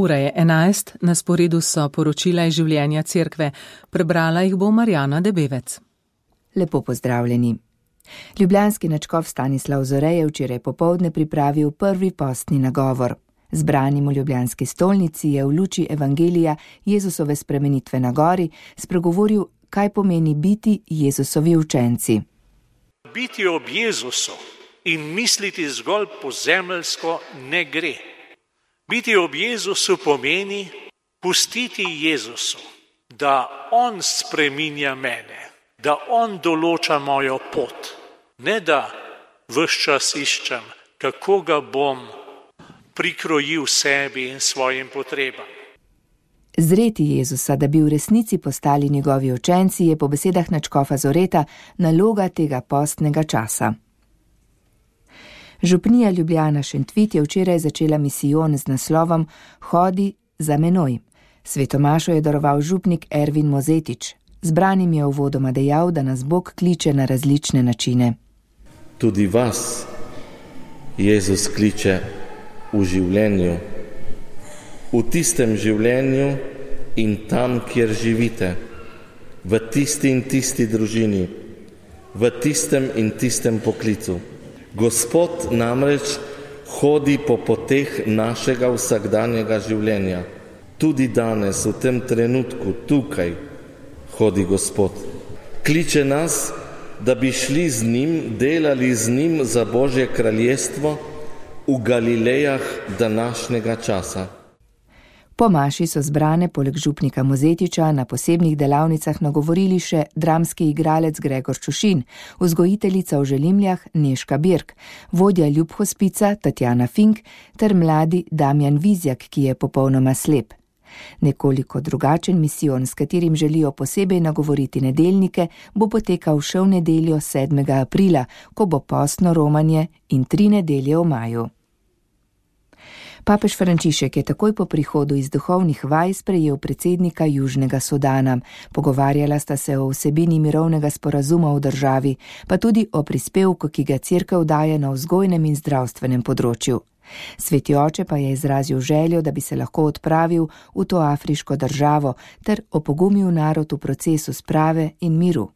Ura je 11, na sporedu so poročila iz življenja cerkve. Prebrala jih bo Marjana Debevec. Lepo pozdravljeni. Ljubljanski nadškof Stanislav Zore je včeraj popoldne pripravil prvi postni nagovor. Zbranim v ljubljanski stolnici je v luči evangelija Jezusove spremenitve na gori spregovoril, kaj pomeni biti Jezusovi učenci. Biti ob Jezusu in misliti zgolj pozemeljsko ne gre. Biti ob Jezusu pomeni pustiti Jezusu, da On spreminja mene, da On določa mojo pot, ne da ves čas iščem, kako ga bom prikrojil sebi in svojim potrebam. Zreti Jezusa, da bi v resnici postali njegovi učenci, je po besedah nadškofa Zoreta naloga tega postnega časa. Župnija Ljubljana Šentvit je včeraj začela misijon z naslovom Hodi za menoj. Svetomašo je daroval župnik Ervin Mozetič. Zbranim je uvodoma dejal, da nas Bog kliče na različne načine. Tudi vas Jezus kliče v življenju, v tistem življenju in tam, kjer živite, v tisti in tisti družini, v tistem in tistem poklicu. Gospod namreč hodi po poteh našega vsakdanjega življenja. Tudi danes, v tem trenutku, tukaj, hodi Gospod. Kliče nas, da bi šli z njim, delali z njim za Božje kraljestvo v Galilejah današnjega časa. Po maši so zbrane poleg župnika Mozetiča na posebnih delavnicah nagovorili še dramski igralec Gregor Čušin, vzgojiteljica v Želimljah Nežka Birk, vodja Ljubhospica Tatjana Fink ter mladi Damjan Vizjak, ki je popolnoma slep. Nekoliko drugačen misijon, s katerim želijo posebej nagovoriti nedeljnike, bo potekal še v nedeljo 7. aprila, ko bo postno romanje in 3 nedelje v maju. Papež Frančišek je takoj po prihodu iz duhovnih vaj sprejel predsednika Južnega Sudana. Pogovarjala sta se o vsebini mirovnega sporazuma v državi, pa tudi o prispevku, ki ga cerkev daje na vzgojnem in zdravstvenem področju. Sveti oče pa je izrazil željo, da bi se lahko odpravil v to afriško državo ter opogumil narod v procesu sprave in miru.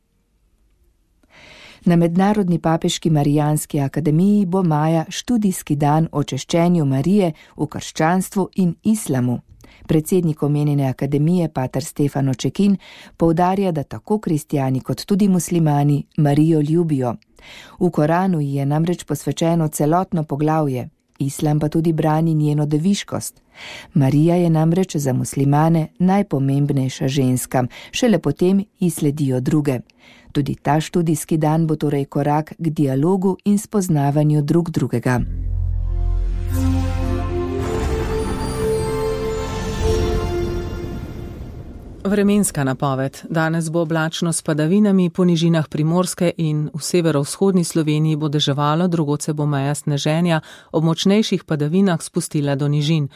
Na Mednarodni papeški Marijanski akademiji bo maja študijski dan o češčenju Marije v krščanstvu in islamu. Predsednik omenjene akademije, pater Stefano Čekin, poudarja, da tako kristjani kot tudi muslimani Marijo ljubijo. V Koranu ji je namreč posvečeno celotno poglavje, islam pa tudi brani njeno deviškost. Marija je namreč za muslimane najpomembnejša ženska, šele potem ji sledijo druge. Tudi ta študijski dan bo torej korak k dialogu in spoznavanju drug drugega. Vremenska napoved. Danes bo oblačno s padavinami, po nižinah Primorske in v severovzhodni Sloveniji bo deževalo, drugod se bo meja sneženja ob močnejših padavinah spustila do nižin.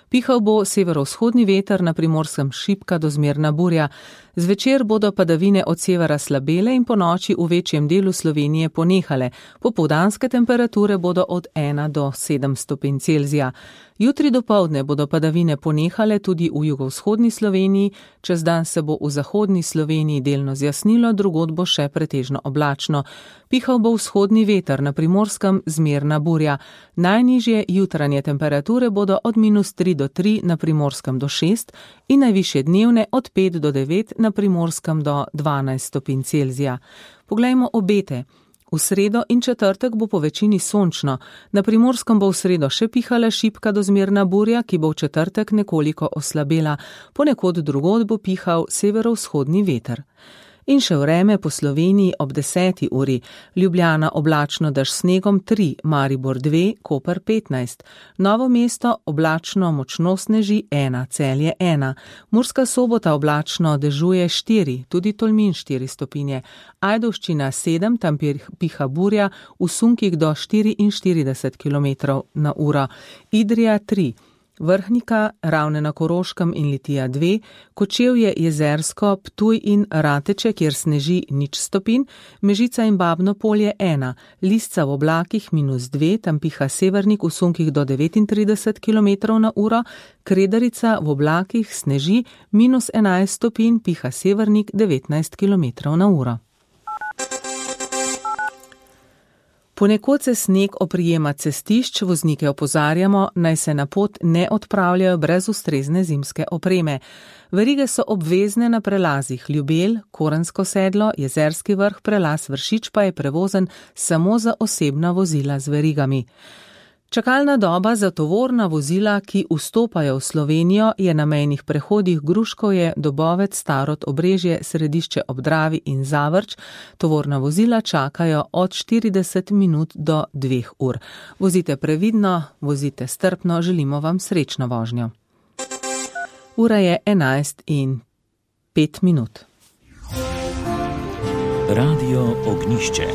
Pihal bo severovzhodni veter, na Primorskem šibka do zmerna burja. Zvečer bodo padavine od severa slabele in po noči v večjem delu Slovenije ponehale. Popoldanske temperature bodo od 1 do 7 stopinj Celzija. Jutri dopoldne bodo padavine ponehale tudi v jugovzhodni Sloveniji, čez dan se bo v zahodni Sloveniji delno zjasnilo, drugod bo še pretežno oblačno. Pihal bo vzhodni veter, na Primorskem zmerna burja. Najnižje jutranje temperature bodo od -3 do 3, na Primorskem do 6 in najvišje dnevne od 5 do 9, na Primorskem do 12 stopinj Celzija. Poglejmo obete. V sredo in četrtek bo po večini sončno. Na Primorskem bo v sredo še pihala šibka do zmerna burja, ki bo v četrtek nekoliko oslabela. Ponekod drugod bo pihal severovzhodni veter. In še vreme po Sloveniji ob 10. uri. Ljubljana oblačno dež snegom 3, Maribor 2, Koper 15. Novo mesto oblačno močno sneži 1, Celje 1. Murska Sobota oblačno dežuje 4, tudi Tolmin 4 stopinje. Ajdovščina 7, tam piha burja v sunkih do 44 km/h. Idrija 3. Vrhnika, Ravne na Koroškem in Litija 2, Kočevje, Jezersko, Ptuj in Rateče, kjer sneži 0 stopinj, Mežica in Babno Polje 1, Lisca v oblakih -2, tam piha severnik v sunkih do 39 km/h, Kredarica v oblakih sneži -11 stopinj, piha severnik 19 km/h. Ponekod se sneg oprijema cestišč, voznike opozarjamo, naj se na pot ne odpravljajo brez ustrezne zimske opreme. Verige so obvezne na prelazih Ljubelj, Korensko sedlo, Jezerski vrh, prelaz Vršič pa je prevozen samo za osebna vozila z verigami. Čakalna doba za tovorna vozila, ki vstopajo v Slovenijo, je na mejnih prehodih Gruškovje, Dobovec, Starod, Obrežje, Središče ob Dravi in Zavrč. Tovorna vozila čakajo od 40 minut do 2 ur. Vozite previdno, vozite strpno, želimo vam srečno vožnjo. Ura je 11:05. Radio Ognjišče.